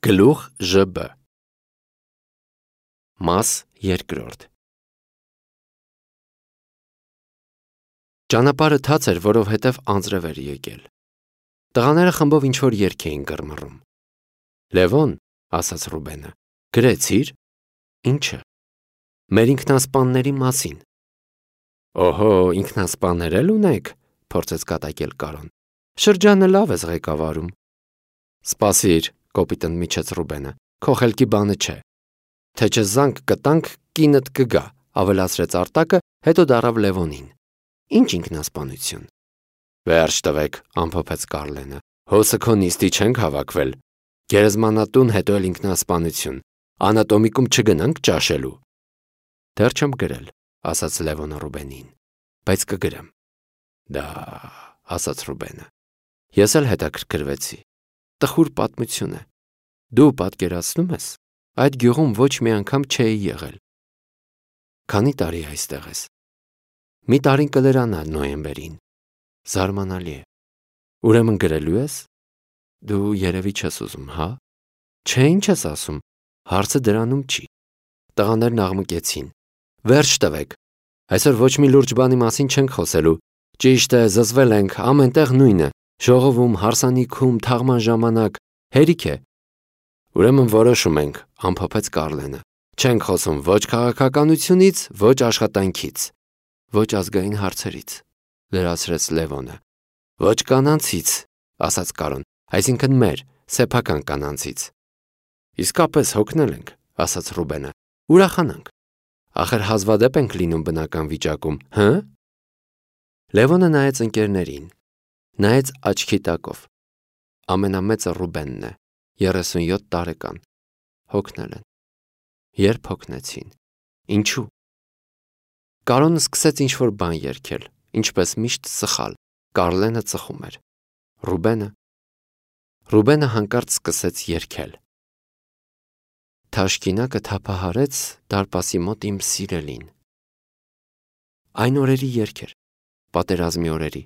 Գլուխ ԺԲ Մաս երկրորդ Ճանապարհը թաց էր, որովհետև անձրև էր եկել։ Տղաները խմբով ինչ-որ երգ էին կռմռում։ Լևոն, ասաց Ռուբենը, գրեցի՞ր։ Ինչը։ Մեր ինքնասպանների մասին։ Օհո, ինքնասպաններ էլ ունեք, փորձեց կատակել Կարոն։ Շրջանը լավ ես ղեկավարում։ Սպասիր, կոպիտ ընդմիջեց Ռուբենը, քո խելքի բանը չէ։ Թե չզանգ կտանք, կինդ կգա, ավելացրեց Արտակը, հետո դառավ Լևոնին։ Ինչ ինքնասպանություն։ Վերջ տվեք, ամփոփեց Կարլենը։ Հոսը քո նիստի չենք հավաքվել։ Գերեզմանատուն, հետո էլ ինքնասպանություն։ Անատոմիկում չգնանք ճաշելու։ Դեռ չեմ գրել, ասաց Լևոնը Ռուբենին, բայց կգրեմ։ Դա, ասաց Ռուբենը։ Ես էլ հետաքրքրվեցի։ Տխուր պատմություն է։ Դու պատկերացնում ես, այդ գյուղում ոչ մի անգամ չէի եղել։ Քանի տարի այստեղ ես։ Մի տարին կլրանա նոյեմբերին։ Զարմանալի է։ Ուրեմն գրելու ես։ Դու երևի չես ուզում, հա։ Չէ, ինչ ես ասում։ Հարցը դրանում չի։ Տղաներն աղմկեցին։ Վերջ տվեք։ Այսօր ոչ մի լուրջ բանի մասին չենք խոսելու։ Ճիշտ է, զզվել ենք, ամենտեղ նույնը։ Ժողովում, հարսանիքում, թաղման ժամանակ, հերիք է։ Ուրեմն որոշում ենք, ամփոփեց Կարլենը։ Չենք խոսում ոչ քաղաքականությունից, ոչ աշխատանքից, ոչ ազգային հարցերից, լրացրեց Լևոնը։ Ոչ կանանցից, ասաց Կարոն, այսինքն մեր, սեփական կանանցից։ Իսկապես հոգնել ենք, ասաց Ռուբենը։ Ուրախանանք։ Ախր հազվադեպ ենք լինում բնական վիճակում, հը։ Լևոնը նայեց ընկերներին։ Նայեց աչքի տակով։ Ամենամեծը Ռուբենն է, 37 տարեկան։ Հոգնել են։ Երբ հոգնեցին։ Ինչու։ Կարոնը սկսեց ինչ-որ բան երգել, ինչպես միշտ սխալ։ Կարլենը ծխում էր։ Ռուբենը հանկարծ սկսեց երգել։ Թաշկինակը թափահարեց դարպասի մոտ իմ սիրելին։ Այն օրերի երգ էր, պատերազմի օրերի։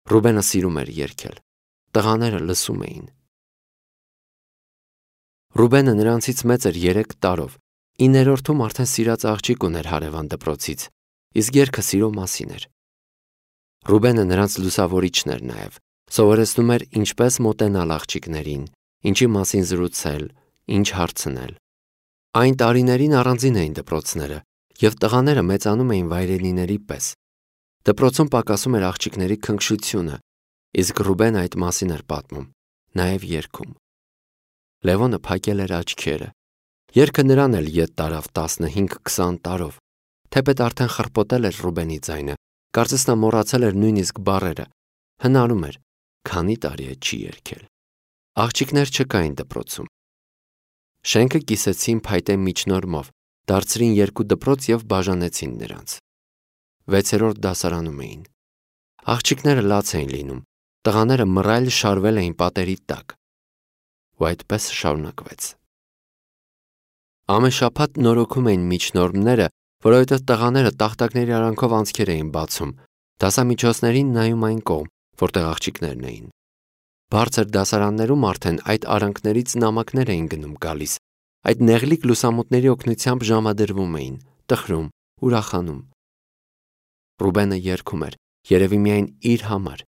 Ռուբենը սիրում էր երգել։ Տղաները լսում էին։ Ռուբենը նրանցից մեծ էր 3 տարով։ 9-րդում արդեն սիրած աղջիկ ուներ հարևան դպրոցից, իսկ երգը սիրո մասին էր։ Ռուբենը նրանց լուսավորիչն էր նաև, սովորեցնում էր ինչպես մոտենալ աղջիկներին, ինչի մասին զրուցել, ինչ հարցնել։ Այն տարիներին առանձին էին դպրոցները, և տղաները մեծանում էին վայրենիների պես։ Դպրոցում պակասում էր աղջիկների քնքշությունը, իսկ Ռուբենը այդ մասին էր պատմում, նաև երգում։ Լևոնը փակել էր աչքերը։ Երգը նրան էլ ետ տարավ 15-20 տարով, թեպետ արդեն խռպոտել էր Ռուբենի ձայնը, կարծես նա մոռացել էր նույնիսկ բառերը, հնարում էր, քանի տարի է չի երգել։ Աղջիկներ չկային դպրոցում։ Շենքը կիսեցին փայտե միջնորմով, դարձրին 2 դպրոց և բաժանեցին նրանց։ 6-րդ դասարանում էին։ Աղջիկները լաց էին լինում, տղաները մռայլ շարվել էին պատերի տակ։ Ու այդպես շարունակվեց։ Ամեն շաբաթ նորոգում էին միջնորմները, որովհետև տղաները տախտակների արանքով անցքեր էին բացում, դասամիջոցներին նայում այն կողմ, որտեղ աղջիկներն էին։ Բարձր դասարաններում արդեն այդ արանքներից նամակներ էին գնում գալիս, այդ նեղլիկ լուսամուտների օգնությամբ ժամադրվում էին, տխրում, ուրախանում։ Ռուբենը երգում էր, երևի միայն իր համար,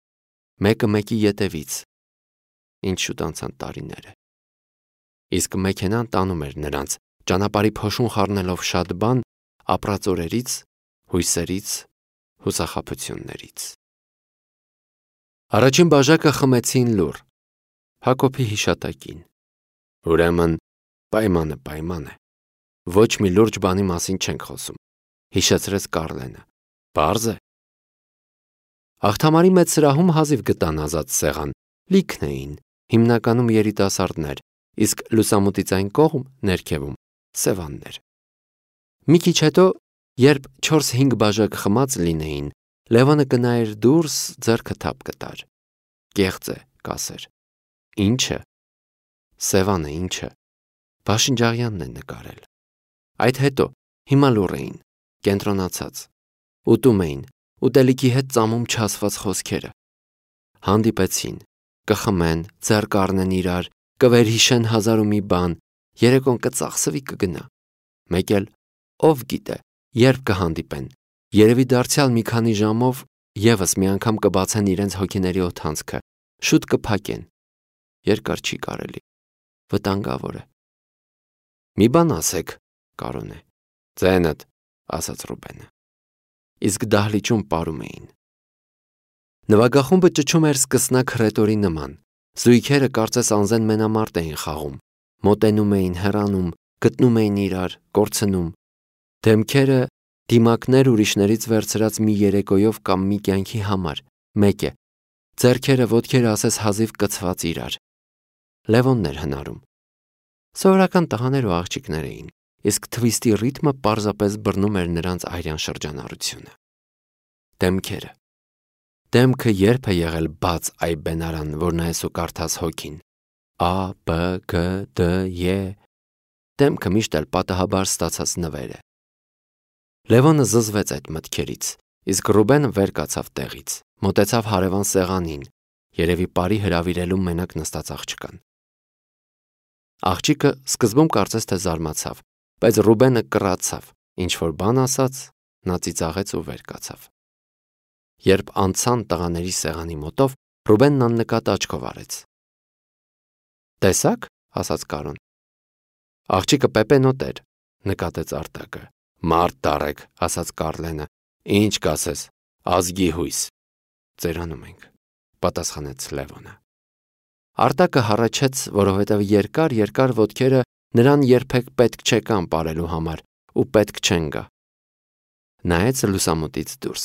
մեկը մեկի ետևից։ Ինչ շուտ անցան տարիները։ Իսկ մեքենան տանում էր նրանց, ճանապարհի փոշուն խառնելով շատ բան, ապրած օրերից, հույսերից, հուսախաբություններից։ Առաջին բաժակը խմեցին լուռ, Հակոբի հիշատակին։ Ուրեմն պայման է։ Ոչ մի լուրջ բանի մասին չենք խոսում, հիշեցրեց Կարլենը։ Պարզ է։ Աղթամարի մեծ սրահում հազիվ գտան ազատ սեղան, լիքն էին, հիմնականում երիտասարդներ, իսկ լուսամուտից այն կողմ, ներքևում, սևաններ։ Մի քիչ հետո, երբ 4-5 բաժակ խմած լինեին, Լևոնը կնայեր դուրս, ձեռքը թափ կտար։ Կեղծ է, կասեր։ Ինչը։ Սևանը ինչը։ Բաշնջաղյանն է նկարել։ Այդ հետո, հիմա լուռ էին, կենտրոնացած։ Ուտում էին, ուտելիքի հետ ծամում չասված խոսքերը։ Հանդիպեցին, կխմեն, ձեռ կառնեն իրար, կվերհիշեն հազար ու մի բան, երեկոն կծախսվի կգնա։ Մեկ էլ ով գիտե, երբ կհանդիպեն, երևի դարձյալ մի քանի ժամով եւս մի անգամ կբացեն իրենց հոգիների օդանցքը, շուտ կփակեն։ Երկար չի կարելի, վտանգավոր է։ Մի բան ասեք, Կարոն է։ Ձենդ, ասաց Ռուբենը։ Իսկ դահլիճում պարում էին։ Նվագախումբը ճչում էր սկսնակ հռետորի նման։ Զույգերը կարծես անզեն մենամարտ էին խաղում, մոտենում էին, հեռանում, գտնում էին իրար, կորցնում։ Դեմքերը դիմակներ ուրիշներից վերցրած մի երեկոյով կամ մի կյանքի համար, մեկ է, ձեռքերը ոտքերը ասես հազիվ կցված իրար։ Լևոնն էր հնարում։ Սովորական տղաներ ու աղջիկներ էին, իսկ թվիստի ռիթմը պարզապես բռնում էր նրանց արյան շրջանառությունը։ Դեմքերը։ Դեմքը երբ է եղել բաց այ բենարան, որ նայես ու կարդաս հոգին։ A, B, G, D, E։ Դեմքը միշտ էլ պատահաբար ստացած նվեր է։ Լևոնը զզվեց այդ մտքերից, իսկ Ռուբենը վեր կացավ տեղից, մոտեցավ հարևան սեղանին, երևի բարի հրավիրելու մենակ նստած աղջկան։ Աղջիկը սկզբում կարծես թե զարմացավ, բայց Ռուբենը կռացավ, ինչ որ բան ասաց, նա ծիծաղեց ու վեր կացավ։ Երբ անցան տղաների սեղանի մոտով, Ռուբենն աննկատ աչքով արեց։ Տեսա՞ք, ասաց Կարոն։ Աղջիկը պեպենոտ էր, նկատեց Արտակը։ Մարդ դարեք, ասաց Կարլենը։ Ինչ կասես, ազգի հույս։ Ծերանում ենք, պատասխանեց Լևոնը։ Արտակը հառաչեց, որովհետև երկար ոտքերը նրան երբեք պետք չեկան ապարելու համար ու պետք չեն գա։ Նայեց լուսամուտից դուրս։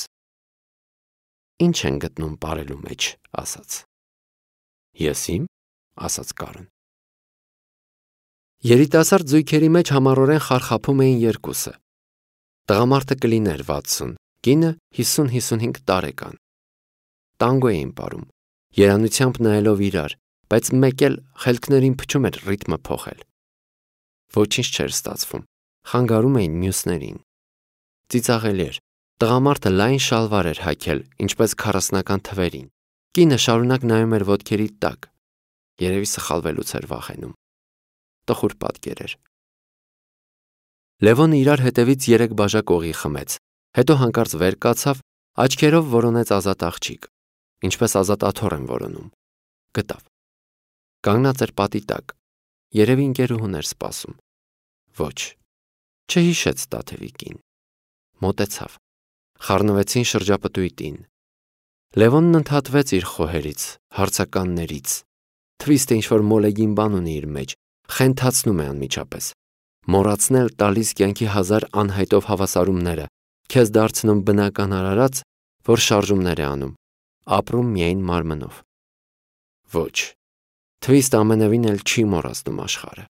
Ինչ են գտնում ապարելու մեջ, ասաց։ Ես իմ, ասաց Կարոն։ Երիտասարդ զույգերի մեջ համառորեն խարխափում էին երկուսը։ Տղամարդը կլիներ 60, կինը 50-55 տարեկան։ Տանգո էին ապարում, երանությամբ նայելով իրար, բայց մեկ էլ խելքներին փչում էր ռիթմը փոխել։ Ոչինչ չէր ստացվում, խանգարում էին մյուսներին։ Ծիծաղելի էր, տղամարդը լայն շալվար էր հագել, ինչպես 40-ական թվերին։ Կինը շարունակ նայում էր ոտքերի տակ, երևի սխալվելուց էր վախենում։ Տխուր պատկեր էր։ Լևոնը իրար հետևից 3 բաժակ օղի խմեց, հետո հանկարծ վեր կացավ, աչքերով որոնեց ազատ աղջիկ, ինչպես ազատ աթոռ են որոնում։ Գտավ։ Կանգնած էր պատի տակ, երևի ընկերուհուն էր սպասում։ Ոչ, չհիշեց Տաթևիկին։ Մոտեցավ։ Խառնվեցին շրջապտույտին։ Լևոնն ընդհատվեց իր խոհերից, հարցականներից։ Թվիստը ինչ-որ մոլեգին բան ունի իր մեջ, խենթացնում է անմիջապես։ Մոռացնել տալիս կյանքի հազար անհայտով հավասարումները, քեզ դարձնում բնական արարած, որ շարժումներ է անում, ապրում միայն մարմնով։ Ոչ, թվիստը ամենևին էլ չի մոռացնում աշխարհը։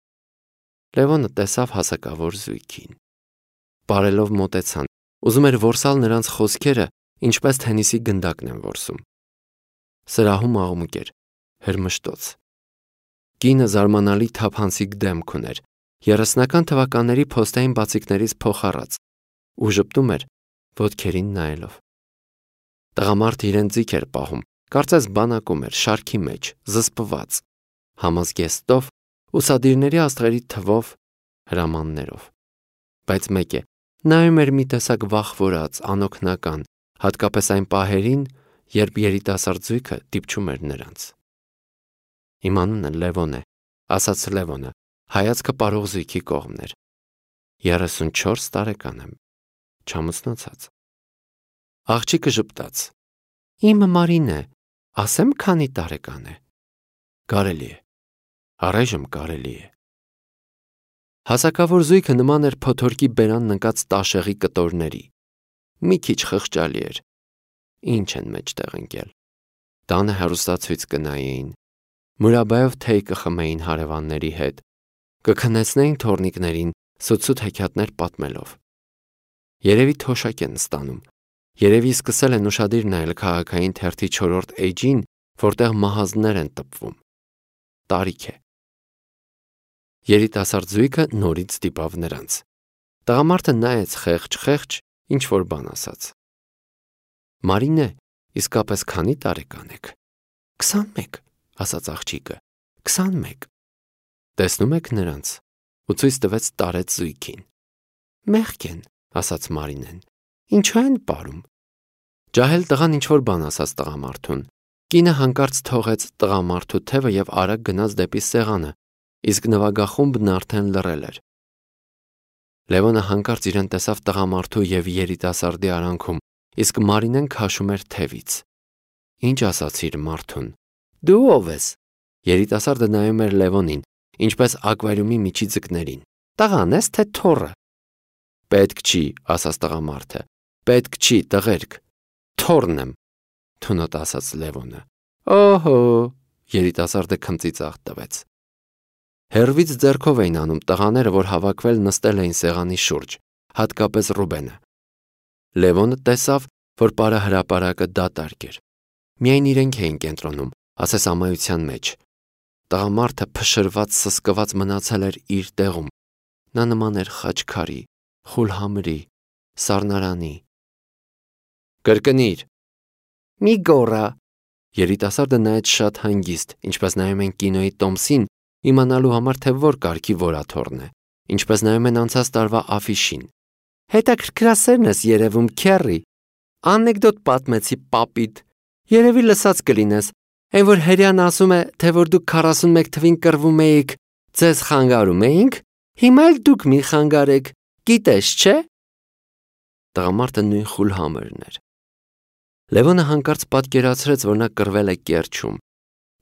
Լևոնը տեսավ հասակավոր զույգին։ Բարելով մոտեցան, ուզում էր որսալ նրանց խոսքերը, ինչպես թենիսի գնդակն են որսում։ Սրահում աղմուկ էր, հրմշտոց։ Կինը զարմանալի թափանցիկ դեմք ուներ, 30-ական թվականների փոստային բացիկներից փոխառած, ու ժպտում էր, ոտքերին նայելով։ Տղամարդը իրեն ձիգ էր պահում, կարծես բանակում էր, շարքի մեջ, զսպված, համազգեստով, ուսադիրների աստղերի թվով, հրամաններով։ Բայց մեկ է, նայում էր մի տեսակ վախվորած, անօգնական, հատկապես այն պահերին, երբ երիտասարդ զույգը դիպչում էր նրանց։ Իմ անունը Լևոն է, ասաց Լևոնը, հայացքը պարող զույգի կողմն էր։ 34 տարեկան եմ, չամուսնացած։ Աղջիկը ժպտաց։ Իմը Մարին է, ասեմ քանի տարեկան է։ Կարելի է, առայժմ կարելի է։ Հասակավոր զույգը նման էր փոթորկի բերանն ընկած տաշեղի կտորների։ Մի քիչ խղճալի էր։ Ինչ են մեջտեղ ընկել։ Տանը հեռուստացույց կնայեին, մուրաբայով թեյ կխմեին հարևանների հետ, կքնեցնեին թոռնիկներին սուտ հեքիաթներ պատմելով։ Երևի թոշակ են ստանում, երևի սկսել են ուշադիր նայել քաղաքային թերթի 4-րդ էջին, որտեղ մահազներ են տպվում։ Տարիք է։ Երիտասարդ զույգը նորից ստիպավ նրանց։ Տղամարդը նայեց խեղճ, ինչ որ բան ասաց։ Մարինե, իսկապես քանի տարեկան եք։ 21, ասաց աղջիկը։ 21։ Տեսնում եք նրանց, ու ցույց տվեց տարեց զույգին։ Մեղք են, ասաց Մարինեն։ Ինչու են պարում։ Ջահել տղան ինչ-որ բան ասաց տղամարդուն։ Կինը հանկարծ թողեց տղամարդու թևը և արագ գնաց դեպի սեղանը, իսկ նվագախումբն արդեն լռել էր։ Լևոնը հանկարծ իրեն տեսավ տղամարդու և երիտասարդի արանքում, իսկ Մարինեն քաշում էր թևից։ Ինչ ասացիր մարդուն։ Դու ով ես։ Երիտասարդը նայում էր Լևոնին, ինչպես ակվարիումի միջի ձկներին։ Տղան ես, թե թոռը։ Պետք չի, ասաց տղամարդը։ Պետք չի, տղերք։ Թոռն եմ, թունոտ ասաց Լևոնը։ Օհո, երիտասարդը քմծիծաղ տվեց։ Հեռվից ձեռքով էին անում տղաները, որ հավաքվել նստել էին սեղանի շուրջ, հատկապես Ռուբենը։ Լևոնը տեսավ, որ պարահրապարակը դատարկ էր։ Միայն իրենք էին կենտրոնում, ասես ամայության մեջ։ Տղամարդը փշրված, սսկված մնացել էր իր տեղում։ Նա նման էր խաչքարի, խուլհամրի, սառնարանի։ Կրկնիր։ Մի գոռա։ Երիտասարդը նայեց շատ հանգիստ, ինչպես նայում են կինոյի տոմսին, իմանալու համար, թե որ կարգի որաթոռն է, ինչպես նայում են անցած տարվա աֆիշին։ Հետաքրքրասերն ես երևում, քեռի։ Անեկդոտ պատմեցի պապիդ։ Երևի լսած կլինես, այն որ հերյան ասում է, թե որ դուք 41 թվին կռվում էիք, ձեզ խանգարում էինք, հիմա էլ դուք մի խանգարեք, գիտես, չէ։ Տղամարդը նույն խուլհամրն էր։ Լևոնը հանկարծ պատկերացրեց, որ նա կռվել է Կերչում,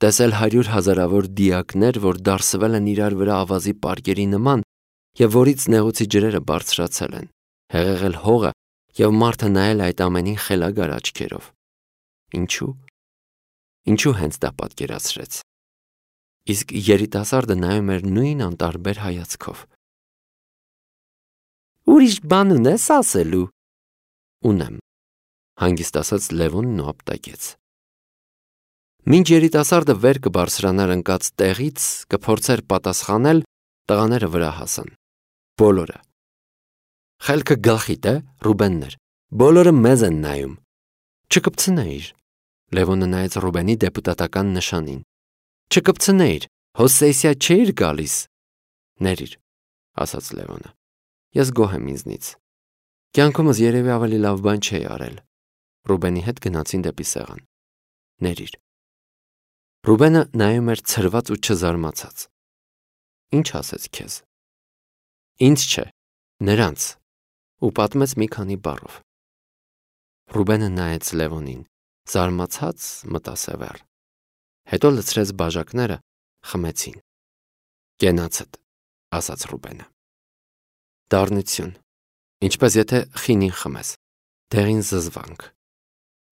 տեսել 100 հազարավոր դիակներ, որ դարսվել են իրար վրա ավազի պարկերի նման և որից նեղուցի ջրերը բարձրացել են, հեղեղել հողը և մարդը նայել այդ ամենին խելագար աչքերով։ Ինչու հենց դա պատկերացրեց։ Իսկ երիտասարդը նայում էր նույն անտարբեր հայացքով։ Ուրիշ բան ունես ասելու։ Ունեմ, հանգիստ ասաց Լևոնն ու ապտակեց։ Մինչ երիտասարդը վեր կբարձրանար ընկած տեղից, կփորձեր պատասխանել, տղաները վրա հասան։ Բոլորը։ Խելքը գլխիդ է, Ռուբեններ։ Բոլորը մեզ են նայում։ Չկպցնեիր։ Լևոնը նայեց Ռուբենի դեպուտատական նշանին։ Չկպցնեիր, հո սեսիա չէիր գալիս։ Ներիր, ասաց Լևոնը։ Ես գոհ եմ ինձնից։ Կյանքումս երևի ավելի լավ բան չէի արել։ Ռուբենի հետ գնացին դեպի սեղան։ Ներիր։ Ռուբենը նայում էր ցրված ու չզարմացած։ Ինչ ասեց քեզ։ Ինձ չէ, նրանց, ու պատմեց մի քանի բառով։ Ռուբենը նայեց Լևոնին, զարմացած մտասևեռ։ Հետո լցրեց բաժակները, խմեցին։ Կենացդ, ասաց Ռուբենը։ Դառնություն, ինչպես եթե խինին խմես, դեղին զզվանք,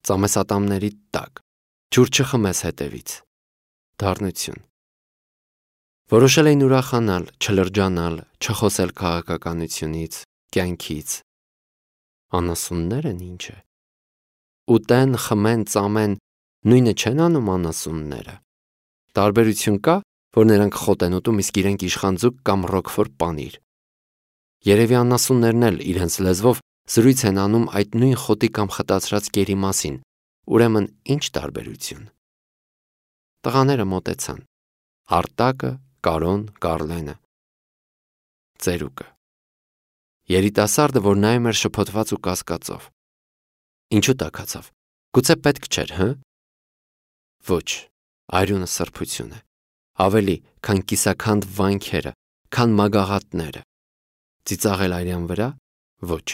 ծամեսատամների տակ, ջուր չխմես հետևից։ Դառնություն։ Որոշել էին ուրախանալ, չլրջանալ, չխոսել քաղաքականությունից, կյանքից։ Անասուններ են ինչ է։ Ուտեն, խմեն, ծամեն, նույնը չեն անում անասունները։ Տարբերություն կա, որ նրանք խոտ են ուտում, իսկ իրենք իշխանձուկ կամ ռոկֆոր պանիր։ Երևի անասուններն էլ իրենց լեզվով զրույց են անում այդ նույն խոտի կամ խտացրած կերի մասին, ուրեմն ինչ տարբերություն։ Տղաները մոտեցան։ Արտակը, Կարոն, Կառլենը։ Ծերուկը։ Երիտասարդը, որ նայում էր շփոթված ու կասկածով։ Ինչու տաքացավ։ Գուցե պետք չէր, հը։ Ոչ, արյունը սրբություն է։ Ավելի, քան կիսաքանդ վանքերը, քան մագաղատները։ Ծիծաղել արյան վրա։ Ոչ։